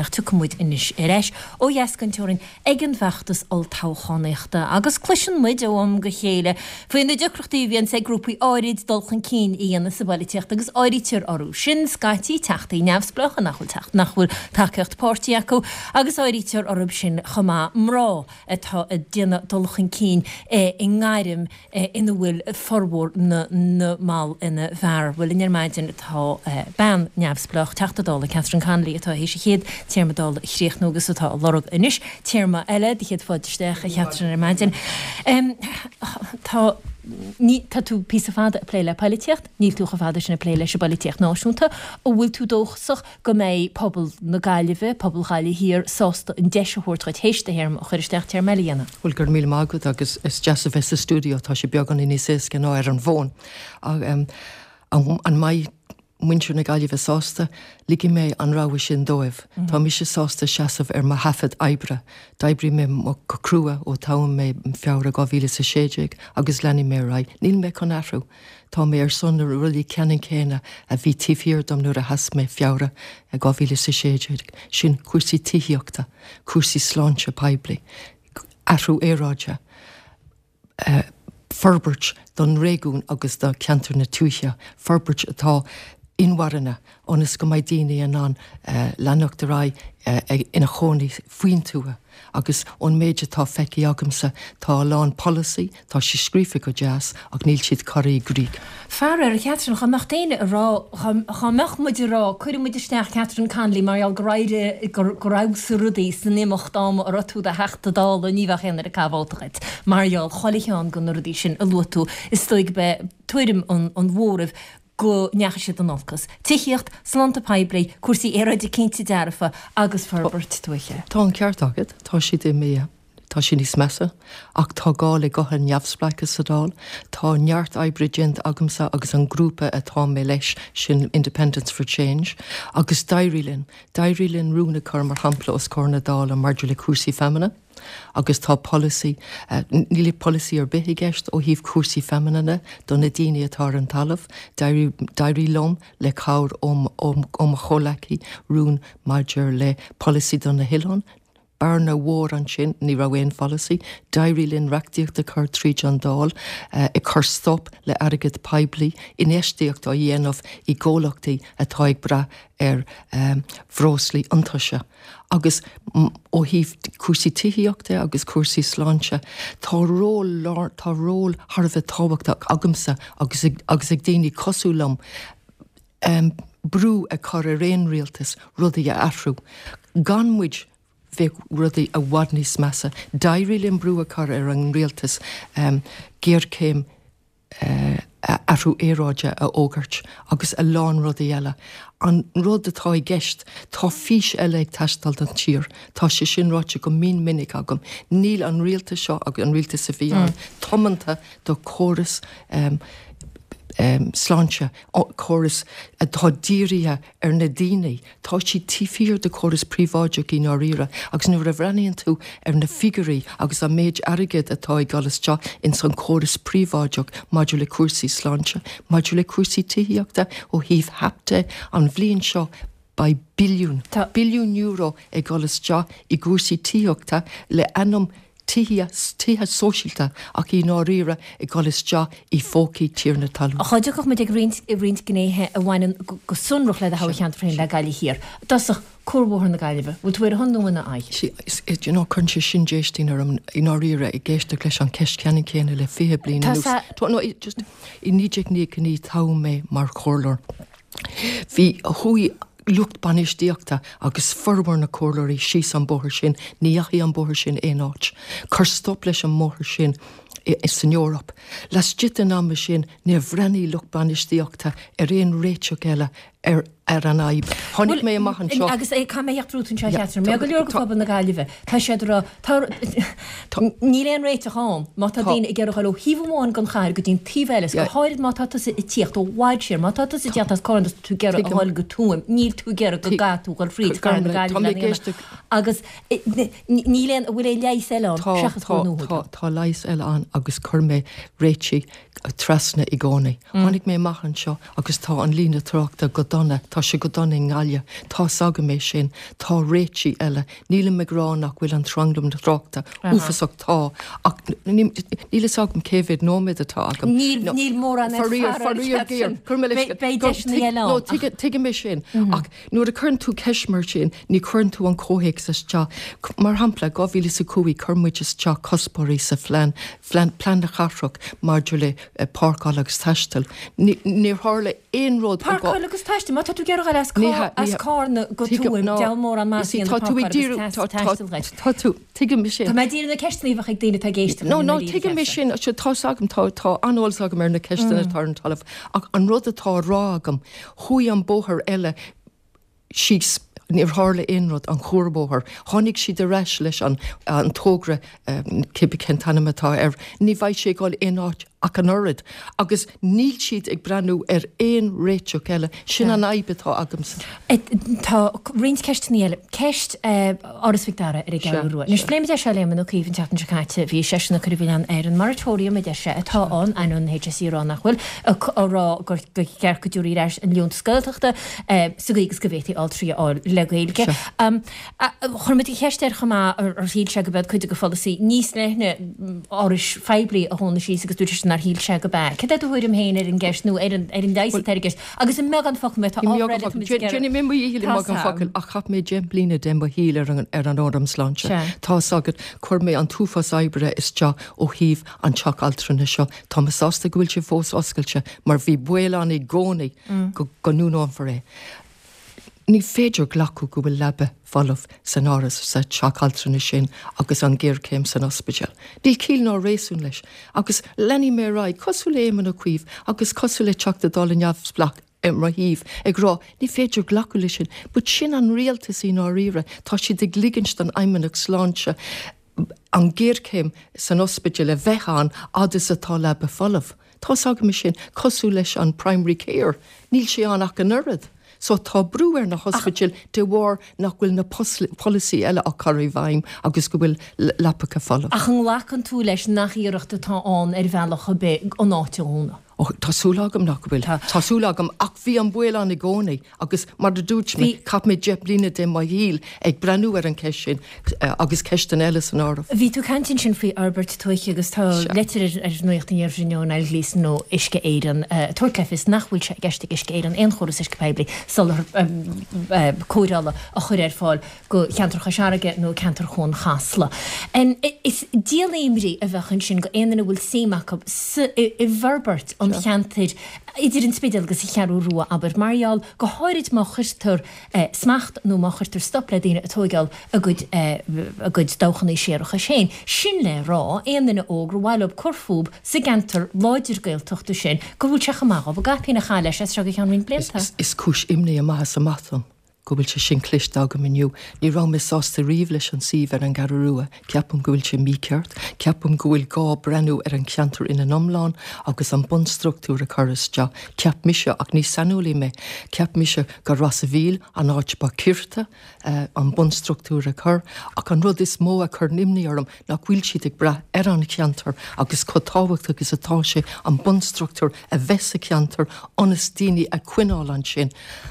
Ach tiocfaidh muid anois ar ais ó dheas den teorainn ag an bhfeachtas olltoghchánaíochta agus cloiseann muid ó am go chéile faoi na deacrachtaí a bhíonns ag grúpaí áirid dul chun cinn a dhéanamh sa bpolaitíocht agus áirítear orthu sin scaití teachtaí neamhspleácha nach bhfuil teacht nach bhfuil tacaíocht páirtí acu agus áirítear orthu sin chomh maith mná atá ag déanamh dul chun cinn i ngairm ina bhfuil formhór na mball ina bhfear. Bhuel, linn ar maidin tá bean neamhspleách, Teachta Dála Catherine Connolly, atá théis a chéad téarma Dála a chríochnú agus atá ag lorg anois téarma eile. Do chéad fáilte isteach, a Chatherine, ar maidin. Tá ní, tá tú píosa fada ag plé le poilitíocht, níl tú chomh fada sin ag plé leis an bpoilitíocht náisiúnta. An bhfuil tú dóchasach go mbeidh pobal na Gaillimhe, pobal Ghaillimh Thiar, sásta an deis a thabhairt dhuit théis do théarma a chur isteach, téarma eile a dhéanamh. Bhuel, go raibh míle maith agat agus is deas a bheith sa stiúideo, tá sé beagáinín níos éasca ná ar an bhfón. An mbeidh muintir na Gaillimhe sásta? Ligfidh mé an rogha sin dóibh. Tá mise sásta seasamh ar mo thaifead oibre. D'oibrigh mé go crua ó toghadh mé Feabhra 2016 agus leanfaidh mé ar aghaidh. Níl mé chun athrú. Tá mé ar son na rudaí ceannann céanna a bhí taobh thiar dom nuair a sheas mé Feabhra 2016, sin cúrsaí tithíochta, cúrsaí sláinte poiblí, athrú aeráide, forbairt don réigiún agus do cheantar na tuaithe, forbairt atá inmharthana ionas go mbeidh daoine in ann leanacht ar aghaidh ina chónaí faoin tuath. Agus ón méid atá feicthe agamsa, tá a lán polasaí, tá sé scríofa go deas, ach níl siad curtha i gcrích. Faraor, a Chatherine, dhá mbeadh éinne ag rá, dhá mbeadh muid ag rá, cuirfidh muid isteach Catherine Connolly mar gheall gur éirigh, gur fheabhsaigh rudaí san imeacht ama a raibh tú i do Theachta Dála, ní bheadh aon duine ag caitheamh vóta dhuit mar gheall chuile cheann de na rudaí sin a luaigh tú. Is dóigh gurb é tuairim an mhóraimh go ndeachaigh siad in olcas. Tithíocht, sláinte poiblí, cúrsaí aeráide cinnte dearfa agus forbairt tuaithe. Tá an ceart agat, tá siad imithe, tá sé níos measa, ach tá gá le gutha neamhspleácha sa Dáil. Tá neart oibre déanta agamsa agus an grúpa atá mé leis, sin Independents for Change, agus d'éirigh linn. D'éirigh linn rún a chur, mar shampla, os comhair na Dála maidir le cúrsaí feamainne. Agus tá polasaí, níl polasaí ar bith i gceist ó thaobh cúrsaí feamainne de do na daoine atá ar an talamh. D'éirigh liom, le cabhair ó mo chomhleacaí, rún maidir le polasaí do na hoileáin. Bearna mhór ansin, ní raibh aon pholasaí. D'éirigh linn reachtaíocht a chur tríd an Dáil ag cur stop le airgead poiblí, infheistíocht á dhéanamh i gcomhlachtaí atá ag brath ar bhreoslaí iontaise. Agus ó thaobh cúrsaí tithíochta agus cúrsaí sláinte, tá ról lár, tá ról thar a bheith tábhachtach agamsa agus ag, agus ag daoine cosúil liom brú a chur ar aon rialtas rudaí a athrú. Gan muid, bheadh rudaí i bhfad níos measa. D'éirigh linn brú a chur ar an rialtas géarchéim athrú aeráide a fhógairt agus a lán rudaí eile. An rud atá i gceist, tá fís eile ag teastáil don tír. Tá sé sin ráite go mion minic agam. Níl an rialtas seo agus an rialtas a bhí ann tiomanta do chóras sláinte, córas atá dírithe ar na daoine. Tá siad taobh thiar de chóras príobháideach i ndáiríre agus nuair a bhreathnaíonn tú ar na figiúirí agus an méid airgid atá ag dul isteach ins an chóras príobháideach maidir le cúrsaí sláinte, maidir le cúrsaí tithíochta, ó thaobh HAP de, an bhliain seo beidh billiún, billiún euro ag dul isteach i gcúrsaí tithíochta le ainm tithe, tithe sóisialta ach i ndáiríre ag dul isteach i phócaí tiarnaí talún. Dhá dtiocfadh muid ag roinnt, roinnt gnéithe a bhaineann go sonrach le do thoghcheantar féin, le Gaillimh Thiar. I dtosach, Cuarbhóthar na Gaillimhe, bhfuil tú ar a shon nó ina aghaidh? See, is, you know, cuireann sé sin déistín orm i ndáiríre ag éisteacht leis an cheist ceannann céanna le 20 bliain anuas. Tá, no, just, i 1999 toghadh mé mar chomhairleoir. Bhí, chuaigh lucht bainistíochta agus formhór na comhairleoirí síos an bóthar sin, ní dheachaigh an bóthar sin aon áit. Cuir stop leis an mbóthar sin san Eoraip. Laistigh den ama sin, níor bhreathnaigh lucht bainistíochta ar aon réiteach eile ar an fhadhb. Tháinig mé amach anseo. Agus caithfidh mé a theacht romhat anseo, a Chatherine. Mar go leor de phobal na Gaillimhe, tá siad ag rá, tá, níl aon réiteach ann má tá daoine ag iarraidh a dhul ó thaobh amháin den chathair go dtí an taobh eile, is go háirid má tá tusa ag tíocht ó bhfad siar, má tá tusa ag tíocht as Carna is tú ag iarraidh a dhul go Tuaim, níl tú ag iarraidh go gcaithfidh tú a dhul fríd chathair na Gaillimhe lena dhéanamh. Agus níl aon, an bhfuil aon leigheas eile ann seachas Bóthar nua a thógáil? Tá, tá leigheas eile ann agus chuir mé réitigh trasna i gcónaí. Tháinig mé amach anseo agus tá an líne tráchta go dona. dona, tá sé go dona i nGaillimh, tá's agam é sin, tá réitigh eile. Nílim ag rá nach bhfuil an tranglam tráchta uafasach, tá, ach níl fhios agam cé mhéad nóiméad atá agam. Níl, níl mórán ar Faraor, faraor géar, cuir mé leis, Beidh deiseanna eile ann. No, tuigim é sin, ach nuair a chuireann tú ceist mar sin, ní chuireann tú an comhthéacs isteach. Mar shampla, 2005 chuir muid isteach cuspóirí sa phlean, plean na cathrach maidir le páirceáil agus taisteal. Níor tharla aon rud ó. Páirceáil agus taisteal? Má tá tú ag iarraidh dul as Carna go Tuaim, deabhal mórán maith a dhéanamh páirceáil agus taisteal dhuit. Tá tú, tuigim sin. Tá mé ag díriú na ceisteanna a bheadh ag daoine atá ag éisteacht linn. No, no, tuigim é sin, tá's agam, tá, tá an-eolas agam ar na ceisteanna atá ar an talamh, ach an rud atá á rá agam, chuaigh an bóthar eile, síos. Níor tharla aon rud, an cuarbhóthar. Tháinig siad ar ais leis an togra, cibé cén t-ainm atá air, ní bheidh sé ag dul aon áit ach an oiread. Agus níl siad ag breathnú ar aon réiteach eile. Sin an fhadhb atá agamsa. Tá roinnt ceisteanna eile. Ceist Áras Mhic Dara ar an gCeathrú Rua. Anois, phléigh muid é seo le Éamon Ó Cuív an tseachtain seo caite. Bhí seisean ag cur an mhilleáin ar an moratorium, a deir sé, atá ann, ainneoin an HSE a rá nach bhfuil, á rá gur cheart go dtabharfaí ar ais an liúntas Gaeltachta. sa gcaoi agus go bhféadfaí altraí a fháil le Gaeilge. Chuir muid an cheist air chomh maith ar shíl sé go b'ead cuid de pholasaí níos leithne árais phoiblí a dhúnadh síos agus dúirt seisean nár shíl sé go b'ea. Cad é do thuairim féin ar an gceist nó ar an ar an leigheas atá ar an gceist? Agus i mbeagán focal má tá ábhar eile tá muid ag iarraidh. Déanfaidh mé mo dhícheall i mbeagán focal ach chaith mé 10 mbliana de mo shaol ar an ar an Fhóram Sláinte. Tá's agat, chuir mé an t-uafás oibre isteach ó thaobh an teach altranais seo. Tá mé sásta go bhfuil sé fós oscailte mar bhí baol ann i gcónaí go ndúnófar é. Ní féidir glacadh go bhfuil leaba folamh san áras sa teach altranais sin agus an ghéarchéim san ospidéal. Níl ciall ná réasún leis. Agus leanfaidh mé ar aghaidh, cosúil le Éamon Ó Cuív agus cosúil le Teachta Dála neamhspleách ar mo thaobh, ag rá, ní féidir glacadh leis sin. But sin an rialtas i ndáiríre. Tá siad ag ligint don Fheidhmeannacht Sláinte an ghéarchéim san ospidéal a bheith ann fhad is atá leaba folamh. Tá's agam é sin, cosúil leis an primary care, níl sé ann ach an oiread. So tá brú ar na hospidéil de bharr nach bhfuil na polasaí eile á cur i bhfeidhm agus go bhfuil leapacha folamh. Ach an nglacann tú leis nach iarracht atá ann ar bhealach ar bith an áit a dhúnadh? Ó, tá súil agam nach bhfuil. Tá súil agam, ach bhí an baol ann i gcónaí agus mar a dúirt mé, chaith mé 10 mbliana de mo shaol ag breathnú ar an cheist sin agus ceisteanna eile san áireamh. Bhí tú ag caint ansin faoi fhorbairt tuaithe agus tá litir ar Nuacht an Iarthair inniu ó Niall Gleeson ó Uisce Éireann ag tabhairt le fios nach bhfuil sé i gceist ag Uisce Éireann aon chóras uisce poiblí soláthar cóireála a chur ar fáil go cheantar Chois Fharraige nó ceantar Chuan Chasla. Is díol imní a bheadh ansin go aon duine a bhfuil suim acu sa, i bhforbairt an cheantair idir an Spidéal agus an Cheathrú Rua, abair, mar gheall, go háirid má chuirtear smacht nó má chuirtear stop le daoine ag tóigeáil a gcuid, a gcuid dabhchannaí séarachais féin. Sin le rá, aon duine óg gur mhaith leo cur fúb sa gceantar láidir Gaeltachta sin, go bhfuil sé chomh maith dhóibh a gcaipín a chaitheamh leis as seo go ceann roinnt blianta. Is cúis imní amach is amach dom go bhfuil sé sin cloiste agam inniu. Ní raibh mé sásta riamh leis an suíomh ar an gCeathrú Rua. Ceapaim go bhfuil sé mícheart. Ceapaim go bhfuil gá breathnú ar an cheantar ina n-iomlán agus an bunstruchtúr a chur isteach. Cheap mise, ach ní saineolaí mé, cheap mise gur Ros a' Mhíl an áit ba chirte an bunstruchtúr a chur. Ach an rud is mó a chuireann imní orm nach bhfuil siad ag brath ar an cheantar agus chomh tábhachtach is atá sé an bunstruchtúr a bheith sa cheantar ionas daoine a choinneáil ansin.